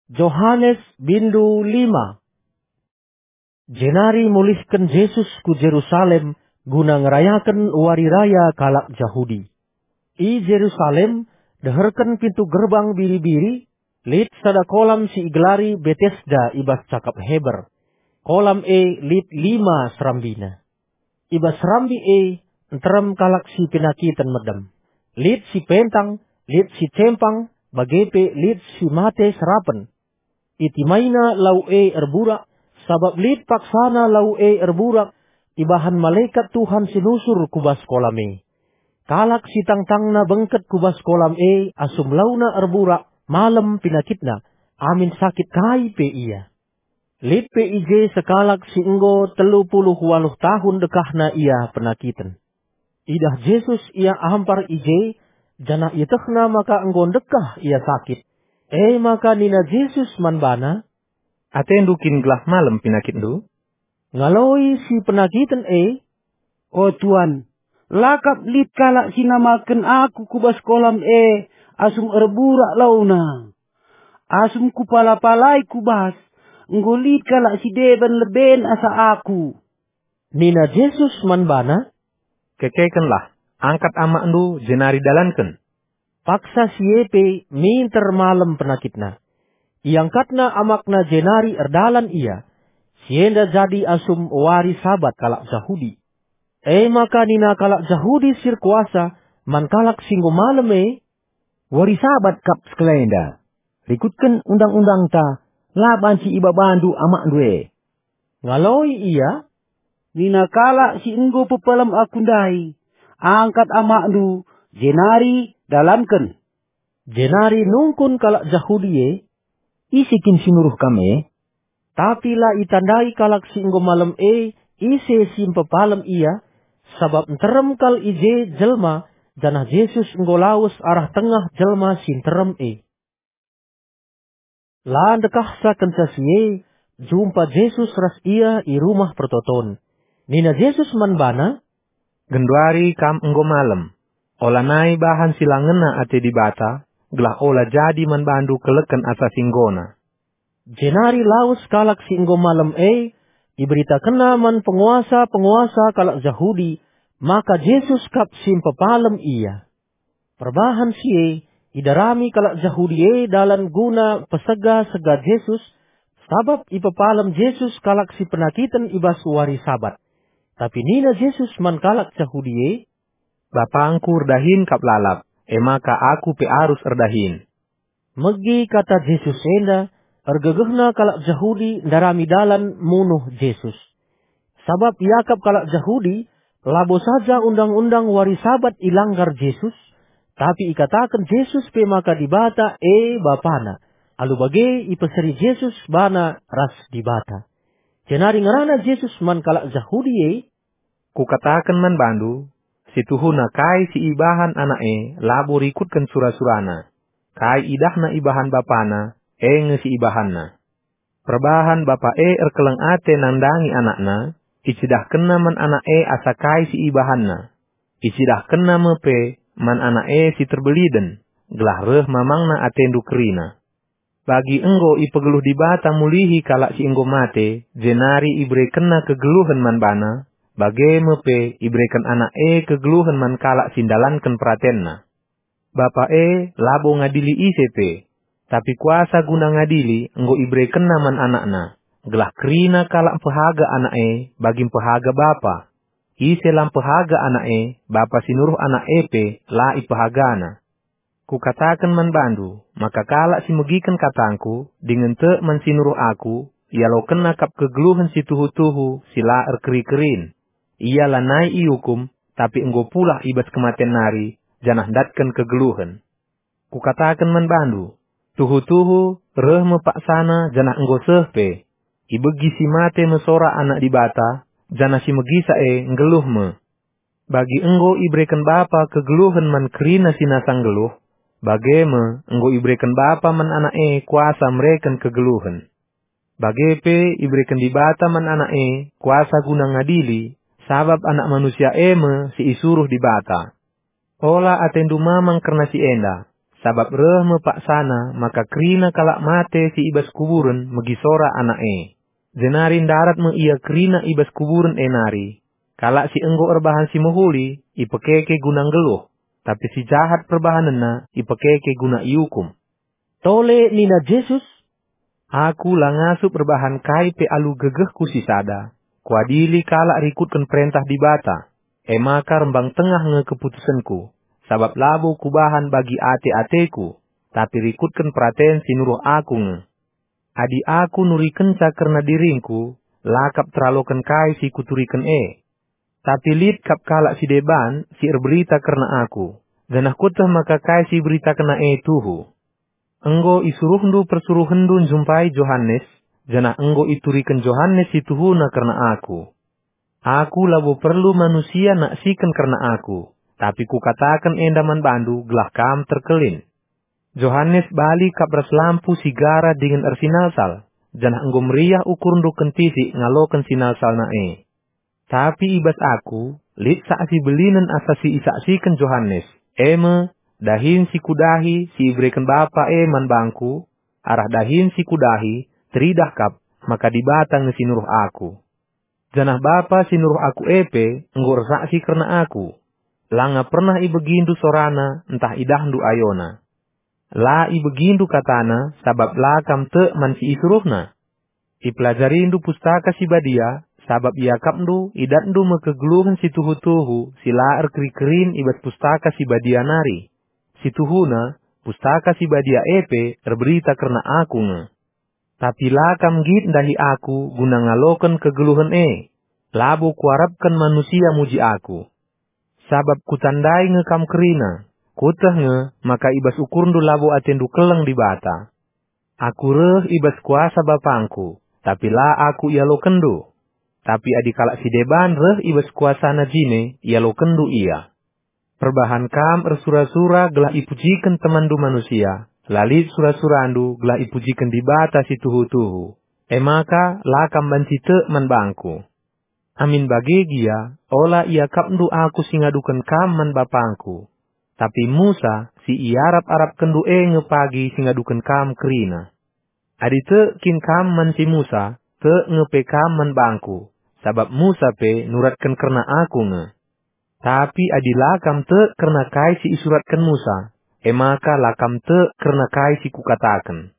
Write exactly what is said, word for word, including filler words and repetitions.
Johanes bindu lima. Jenari mulihken Jesus ku Jerusalem guna ngerayaken wari raya kalak Jahudi. I Jerusalem, deherken pintu Gerbang Biri-biri, lit sada kolam si igelari Betesda i bas cakap Heber. Kolam e lit lima serambina. I bas serambi e nterem kalak si penakiten medem. Lit si pentang, lit si cempang, bage pe lit si mate serapen. Itimaina lau e erburak, sabap lit paksana lau e erburak ibahan malekat Tuhan si nusur ku bas kolam e. Kalak si tangtangna bengket ku bas kolam e asum launa erburak, malem penakitna, amin sakit kai pe ia. Lit pe i je sekalak si enggo telu puluh waluh tahun dekahna ia penakiten. Idah Jesus ia ampar i je, janah ietehna maka enggo ndekah ia sakit. E maka nina Jesus man bana, "Atendu kin gelah malem penakitndu?" Ngaloi si penakiten e, "O Tuan, la kap lit kalak si namaken aku ku bas kolam e asum erburak launa. Asum kupala-palai ku bas, enggo lit kalak si deban leben asa aku." Nina Jesus man bana, "Kekekenlah, angkat amakndu jenari dalanken." Paksa si e pe minter malem penakitna. Iangkatna amakna jenari erdalan ia. Si enda jadi asum wari Sabat kalak Jahudi. E maka nina kalak Jahudi si erkuasa man kalak si enggo malem e, "Wari Sabat kap sekalenda. Rikutken undang-undangta, la banci ibabandu amakndu e." Ngaloi ia, "Nina kalak si enggo pepalem aku ndai, 'Angkat amakndu, jenari dalanken.'" Jenari nungkun kalak Jahudi e, "Ise kin si nuruh kam e?" Tapi la itandai kalak si enggo malem e ise si mpepalem ia, sabap nterem kal i je jelma, janah Jesus enggo lawes arah tengah jelma si nterem e. La ndekahsa kenca si e, jumpa Jesus ras ia i Rumah Pertoton. Nina Jesus man bana, "Genduari kam enggo malem. Olanai bahan si la ngena ate Dibata, gelah ola jadi man bandu keleken asa si enggona." Jenari lawes kalak si enggo malem e, iberitakenna man penguasa-penguasa kalak Jahudi maka Jesus kap si mpepalem ia. Perbahan si e, idarami kalak Jahudi e dalan guna pesega-sega Jesus, sabap ipepalem Jesus kalak si penakiten i bas wari Sabat. Tapi nina Jesus man kalak Jahudi e, "BapangKu erdahin kap lalap, e maka Aku pe arus erdahin." Megi kata Jesus enda, ergegehna kalak Jahudi ndarami dalan munuh Jesus. Sabap iakap kalak Jahudi, labo saja undang-undang wari Sabat ilanggar Jesus, tapi ikataken Jesus pe maka Dibata e BapaNa. Alu bage ipeseri Jesus bana ras Dibata. Jenari ngerana Jesus man kalak Jahudi e, "Kukataken man bandu, si tuhuna kai si ibahan anak e labo rikutken sura-surana. Kai idahna ibahan bapana, e nge si ibahanna. Perbahan bapa e erkeleng ate nandangi anakna, icidahkenna man anak e asa kai si ibahanna. Icidahkenna me pe man anak e si terbeliden, gelah reh mamangna atendu kerina. Bagi enggo ipegeluh Dibata mulihi kalak si enggo mate, jenari iberekenNa kegeluhen man bana, bage me pe ibereken Anak e kegeluhen man kalak si ndalanken peratenNa. Bapa e labo ngadili ise pe, tapi kuasa guna ngadili enggo iberekenNa man AnakNa, gelah kerina kalak mpehaga Anak e bagi mpehaga Bapa. Ise la mpehaga Anak e, Bapa si nuruh Anak e pe la ipehagana. Kukataken man bandu, maka kalak si megiken katangKu, dingen tek man si nuruh Aku, ialokenna kap kegeluhen si tuhu-tuhu si la erkeri-kerin. Ia lanai iukum, tapi enggo pulah i bas kematen nari, janah ndatken kegeluhen. Kukataken man bandu, tuhu-tuhu reh me paksana janah enggo seh pe. Ibegi si mate me sora Anak Dibata, janah si megisa e nggeluh me. Bagi enggo ibereken Bapa kegeluhen man kerina si nasa nggeluh, bage me enggo ibereken Bapa man Anak e kuasa mereken kegeluhen. Bage pe ibereken Dibata man Anak e kuasa guna ngadili, sabap Anak Manusia e me si isuruh Dibata. Ola atendu mamang kerna si enda, sabap reh me paksana maka kerina kalak mate si i bas kuburen megi sora anak e. Jenari ndarat me ia kerina i bas kuburen e nari. Kalak si enggo erbahan si mehuli ipekeke guna nggeluh, tapi si jahat perbahanenna ipekeke guna iukum. Tole nina Jesus, "Aku la ngasup erbahan kai pe alu gegehku si sada. Kuadili kalak rikutken perentah Dibata. E maka rembang tengah nge keputusenku, sabap labo kubahan bagi ate-ateku, tapi rikutken peraten si nuruh aku nge. Adi aku nurikenca kerna diringku, la kap teraloken kai si kuturiken e. Tapi lit kap kalak si deban si erberita kerna aku, janah kueteh maka kai si iberitakenna e tuhu. Enggo isuruhndu persuruhenndu njumpai Johanes, janah enggo ituriken Johanes si tuhuna kerna aku. Aku labo perlu manusia naksiken kerna aku, tapi kukataken enda man bandu gelah kam terkelin. Johanes bali kap ras lampu si gara dingen ersinalsal, janah enggo meriah ukurndu kentisik ngaloken sinalsalna e. Tapi i bas aku, lit saksi belinen asa si isaksiken Johanes, e me, dahin si kudahi si ibereken Bapa e man bangku, arah dahin si kudahi, teridah kap, maka Dibata nge si nuruh aku. Janah Bapa si nuruh aku e pe enggo ersaksi kerna aku. Langa pernah ibegindu sorana ntah idahndu ayona. La ibegindu katana sabap la kam tek man si isuruhna. Ipelajarindu Pustaka Si Badia, sabap iakapndu idatndu me kegeluhen si tuhu-tuhu si la erkeri-kerin i bas Pustaka Si Badia nari. Si tuhuna, Pustaka Si Badia e pe erberita kerna aku nge. Tapi la kam nggit ndahi aku guna ngaloken kegeluhen e. Labo kuarapken manusia muji aku. Sabap kutandai nge kam kerina, kueteh nge maka i bas ukurndu labo atendu keleng Dibata. Aku reh i bas kuasa Bapangku, tapi la aku ialokenndu. Tapi adi kalak si deban reh i bas kuasana jine, ialokenndu ia. Perbahan kam ersura-sura gelah ipujiken temanndu manusia, la lit sura-surandu gelah ipujiken Dibata si tuhu-tuhu. E maka la kam banci tek man bangku. Amin bage gia, ola iakapndu aku si ngaduken kam man bapangku. Tapi Musa, si iarap-arapkenndu e nge pagi si ngaduken kam kerina. Adi tek kin kam man si Musa, tek nge pe kam man bangku, sabap Musa pe nuratken kerna aku nge. Tapi adi la kam tek kerna kai si isuratken Musa, e maka la kam tek kerna kai si kukataken.